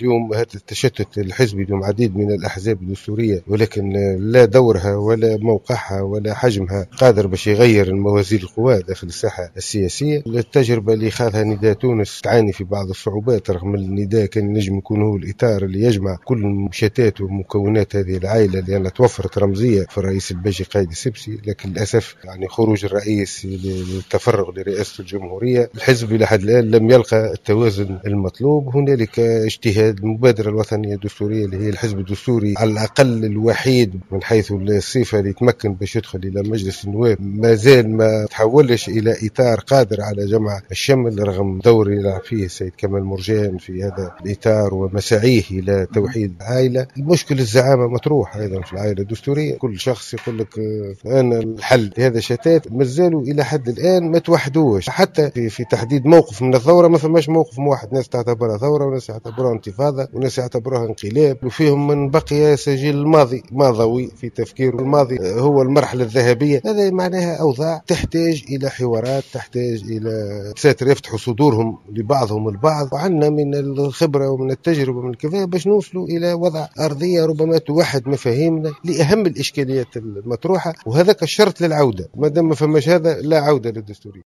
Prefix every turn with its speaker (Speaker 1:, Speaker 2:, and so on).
Speaker 1: اليوم هذا التشتت الحزبي، اليوم عديد من الأحزاب الدستورية، ولكن لا دورها ولا موقعها ولا حجمها قادر باش يغير الموازين القوى داخل الساحة السياسية. التجربة اللي خاضها نداء تونس تعاني في بعض الصعوبات، رغم النداء كان نجم يكون هو الإطار اللي يجمع كل المشتات ومكونات هذه العائلة، لأن توفرت رمزية في الرئيس الباجي قايد السبسي، لكن للأسف يعني خروج الرئيس للتفرغ لرئاسة الجمهورية، الحزب إلى حد الآن لم يلقى التوازن المطلوب. هنالك اجتهاد المبادرة الوطنية الدستورية اللي هي الحزب الدستوري على الأقل الوحيد من حيث الصفة اللي يتمكن باش يدخل إلى مجلس النواب، ما زال ما تحولش إلى إطار قادر على جمع الشمل، رغم دور يلعب فيه السيد كمال مرجان في هذا الإطار ومساعيه إلى توحيد العائلة. المشكل الزعامة مطروح أيضا في العائلة الدستورية، كل شخص يقول لك أنا الحل. هذا شتات مازالوا إلى حد الآن ما توحدوش، حتى في تحديد موقف من الثورة ما فماش موقف موحد، ناس تعتبرها ثورة وناس يعتبروها انتفاضة وناس يعتبروها انقلاب، وفيهم من بقي سجل الماضي ماضوي في تفكيره، الماضي هو المرحلة الذهبية. هذا معناها أوضاع تحتاج إلى حوارات، تحتاج إلى ساتر يفتحوا صدورهم لبعضهم البعض، وعندنا من الخبرة ومن التجربة ومن الكفاءة باش نوصلوا إلى وضع أرضية ربما توحد مفاهيمنا لأهم الإشكاليات المطروحة، وهذاك الشرط للعودة. ما دام ما فماش هذا لا عودة للدستورية.